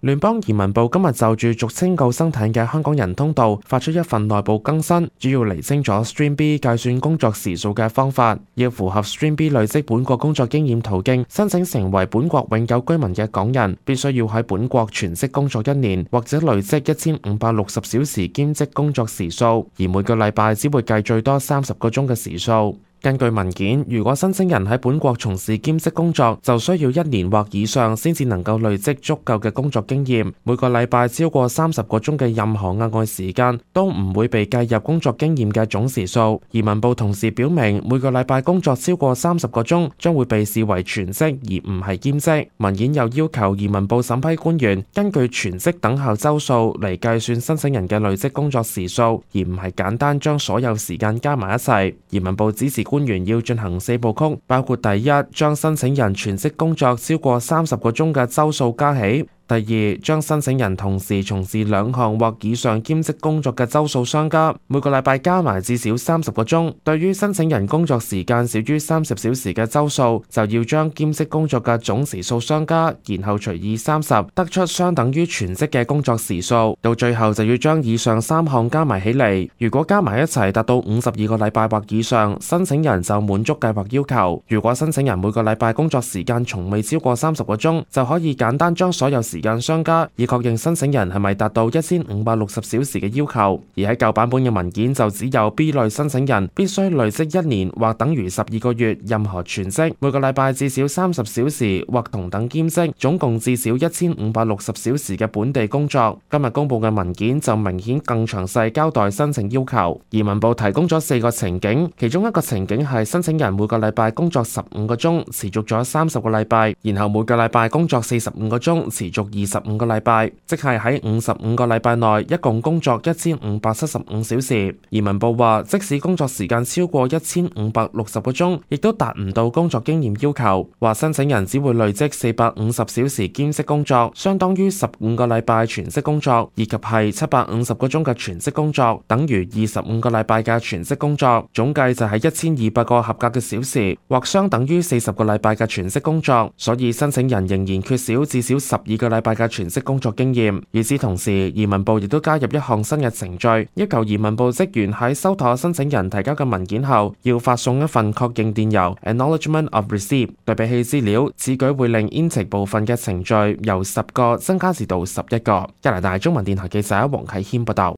聯邦移民部今日就住俗稱救生艇嘅香港人通道發出一份內部更新，主要釐清咗 Stream B 計算工作時數嘅方法。要符合 Stream B 累積本國工作經驗途徑申請成為本國永久居民嘅港人，必須要喺本國全職工作1年，或者累積1560小時兼職工作時數，而每個禮拜只會計最多30個鐘嘅時數。根據文件，如果申請人喺本國從事兼職工作，就需要1年或以上先至能夠累積足夠嘅工作經驗。每個禮拜超過30個鐘嘅任何額外時間都唔會被計入工作經驗嘅總時數。移民部同時表明，每個禮拜工作超過30個鐘將會被視為全職而唔係兼職。文件又要求移民部審批官員根據全職等效週數嚟計算申請人嘅累積工作時數，而唔係簡單將所有時間加埋一齊。移民部指示官員要進行4部曲，包括第一，將申請人全職工作超過30個鐘嘅週數加起；第二，將申請人同時從事2項或以上兼職工作嘅週數相加，每個禮拜加埋至少30個鐘。對於申請人工作時間少於30小時嘅週數，就要將兼職工作嘅總時數相加，然後除以30，得出相等於全職嘅工作時數。到最後就要將以上3項加埋起嚟，如果加埋一齊達到52個禮拜或以上，申請人就滿足計劃要求。如果申請人每個禮拜工作時間從未超過30個鐘，就可以簡單將所有時間相加，以確認申請人係咪達到1560小時嘅要求。而喺舊版本嘅文件就只有 B 類申請人必須累積1年或等於12個月任何全職，每個禮拜至少30小時或同等兼職，總共至少1560小時嘅本地工作。今日公佈嘅文件就明顯更詳細交代申請要求。移民部提供咗4個情景，其中一個情景係申請人每個禮拜工作15個鐘，持續咗30個禮拜，然後每個禮拜工作45個鐘，持續25個禮拜，即係喺55個禮拜內一共工作1575小時。移民部話，即使工作時間超過1560個鐘，亦都達唔到工作經驗要求。話申請人只會累積450小時兼職工作，相當於15個禮拜全職工作，以及係750個鐘嘅全職工作，等於25個禮拜嘅全職工作，總計就係1200個合格嘅小時，或相等於40個禮拜嘅全職工作。所以申請人仍然缺少至少12個禮拜嘅全職工作經驗。與此同時，移民部亦都加入一項新嘅程序，要求移民部職員喺收妥申請人提交嘅文件後，要發送一份確認電郵 （Acknowledgement of Receipt）。對比起資料，此舉會令 intake 部分嘅程序由10個增加至到11個。加拿大中文電台記者黃啟謙報道。